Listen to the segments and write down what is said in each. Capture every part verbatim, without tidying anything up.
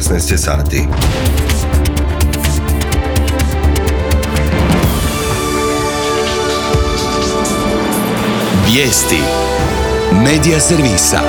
šesnaest sati. Vijesti Medija servisa.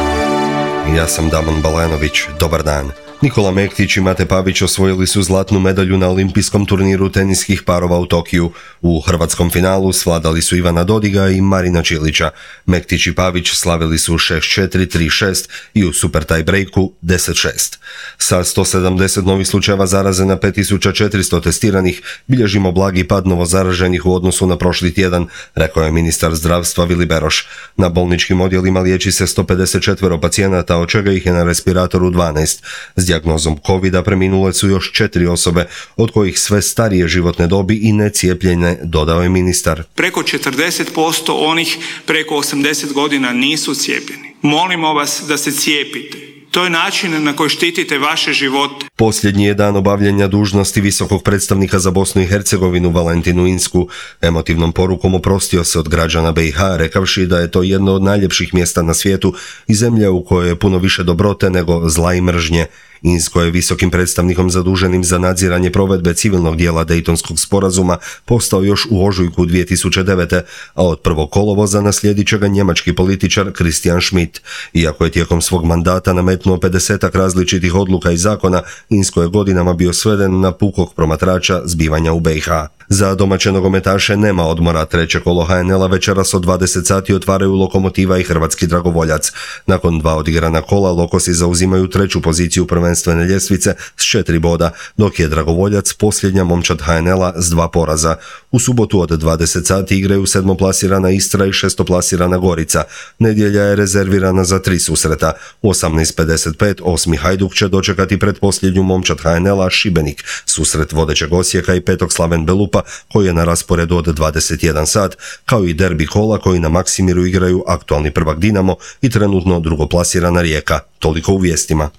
Ja sam Damon Balenović, dobar dan. Nikola Mektić i Mate Pavić osvojili su zlatnu medalju na olimpijskom turniru teniskih parova u Tokiju. U hrvatskom finalu svladali su Ivana Dodiga i Marina Čilića. Mektić i Pavić slavili su šest četiri, tri šest i u super tie breaku deset šest. Sa sto sedamdeset novih slučajeva zaraze na pet tisuća četiristo testiranih bilježimo blagi pad novozaraženih u odnosu na prošli tjedan, rekao je ministar zdravstva Vili Beroš. Na bolničkim odjelima liječi se sto pedeset četiri pacijenata, od čega ih je na respiratoru dvanaest. S dijagnozom kovida preminule su još četiri osobe, od kojih sve starije životne dobi i necijepljene, dodao je ministar. Preko četrdeset posto onih preko osamdeset godina nisu cijepljeni. Molimo vas da se cijepite. To je način na koji štitite vaše živote. Posljednji je dan obavljanja dužnosti visokog predstavnika za Bosnu i Hercegovinu Valentinu Insku. Emotivnom porukom oprostio se od građana be i ha, rekavši da je to jedno od najljepših mjesta na svijetu i zemlja u kojoj je puno više dobrote nego zla i mržnje. Insko je visokim predstavnikom zaduženim za nadziranje provedbe civilnog dijela Dejtonskog sporazuma postao još u ožujku dvije tisuće devete. a od prvog kolovoza naslijedit će ga njemački političar Christian Schmidt. Iako je tijekom svog mandata nametnuo pedesetak različitih odluka i zakona, Insko je godinama bio sveden na pukog promatrača zbivanja u be i ha. Za domaće nogometaše nema odmora. Treće kolo ha en el-a večeras od dvadeset sati otvaraju Lokomotiva i Hrvatski Dragovoljac. Nakon dva odigrana kola, Lokosi zauzimaju treću poziciju prvenstvene ljestvice s četiri boda, dok je Dragovoljac posljednja momčad ha en el-a s dva poraza. U subotu od dvadeset sati igraju sedmoplasirana Istra i šestoplasirana Gorica. Nedjelja je rezervirana za tri susreta. U osamnaest pedeset pet osmi Hajduk će dočekati pretposljednju momčad ha en el-a Šibenik, susret vodećeg Osijeka i petog Slaven Belupa, koji je na rasporedu od dvadeset jedan sat, kao i derbi kola koji na Maksimiru igraju aktualni prvak Dinamo i trenutno drugoplasirana Rijeka. Toliko u vijestima.